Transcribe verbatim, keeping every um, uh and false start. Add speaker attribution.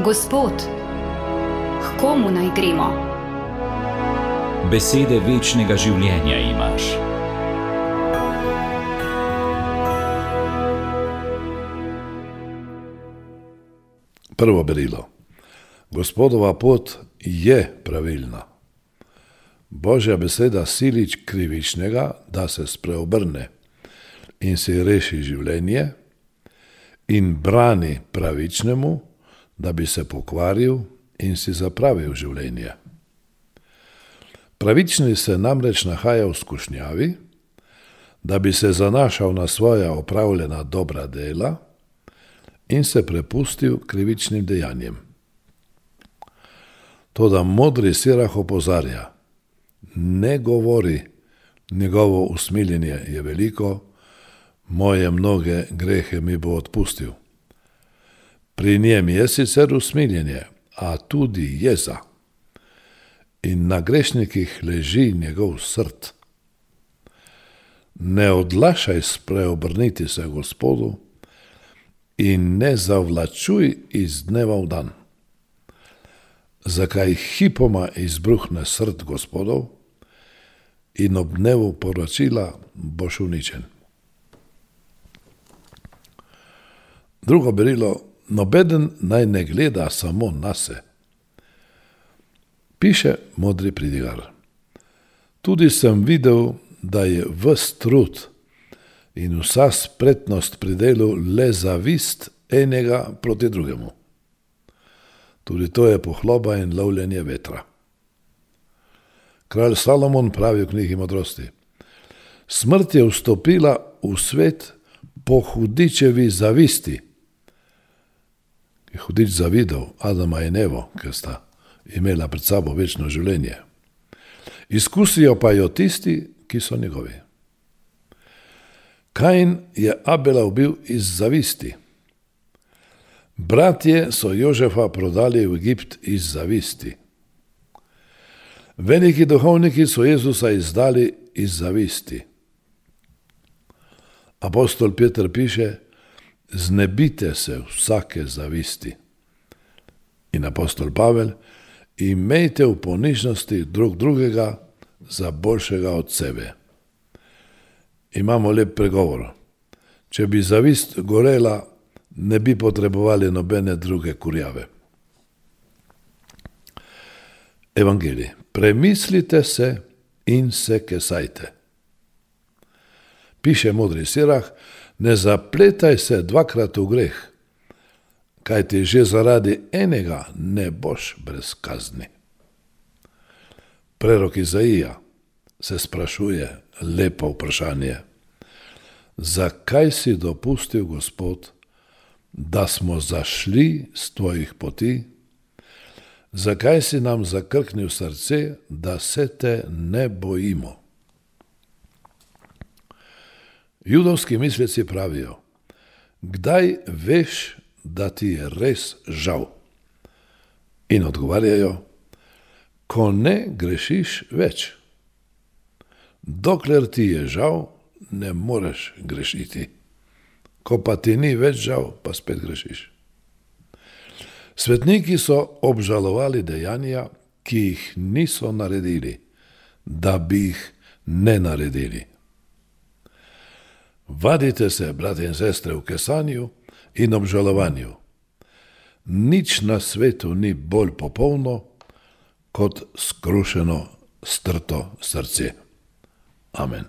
Speaker 1: Gospod, h komu naj gremo?
Speaker 2: Besede večnega življenja imaš.
Speaker 3: Prvo berilo. Gospodova pot je pravilna. Božja beseda silič krivičnega, da se spreobrne in si reši življenje, in brani pravičnemu, da bi se pokvaril in si zapravil življenje. Pravični se namreč nahaja v skušnjavi, da bi se zanašal na svoja opravljena dobra dela in se prepustil krivičnim dejanjem. Toda modri Sirah opozarja, ne govori, njegovo usmiljenje je veliko, moje mnoge grehe mi bo odpustil. Pri njem je sicer usmiljenje, a tudi jeza. In na grešnikih leži njegov srd. Ne odlašaj spreobrniti se Gospodu in ne zavlačuj iz dneva v dan. Zakaj hipoma izbruhne srd Gospodov in ob dnevu poročila boš uničen. Drugo berilo, nobeden naj ne gleda samo nase. Piše modri pridigar. Tudi sem videl, da je ves trud in vsa spretnost pri delu le zavist enega proti drugemu. Tudi to je pohloba in lovljenje vetra. Kralj Salomon pravi v knjigi modrosti. Smrt je vstopila v svet po hudičevi zavisti. Je hudič zavidel Adama in Evo, ker sta imela pred sabo večno življenje. Izkusijo pa jo tisti, ki so njegovi. Kain je Abela ubil iz zavisti. Bratje so Jožefa prodali v Egipt iz zavisti. Veliki duhovniki so Jezusa izdali iz zavisti. Apostol Peter piše, znebite se vsake zavisti. In apostol Pavel, imejte v ponižnosti drug drugega za boljšega od sebe. Imamo lep pregovor. Če bi zavist gorela, ne bi potrebovali nobene druge kurjave. Evangelij. Premislite se in se kesajte. Piše modri Sirah, ne zapletaj se dvakrat v greh, kajti že zaradi enega ne boš brez kazni. Prerok Izaija se sprašuje lepo vprašanje. Zakaj si dopustil, Gospod, da smo zašli z tvojih poti? Zakaj si nam zakrknil srce, da se te ne bojimo? Judovski misleci pravijo, kdaj veš, da ti je res žal? In odgovarjajo, ko ne grešiš več. Dokler ti je žal, ne moreš grešiti. Ko pa ti ni več žal, pa spet grešiš. Svetniki so obžalovali dejanja, ki jih niso naredili, da bi jih ne naredili. Vadite se, brate in sestre, v kesanju in obžalovanju. Nič na svetu ni bolj popolno, kot skrušeno, strto srce. Amen.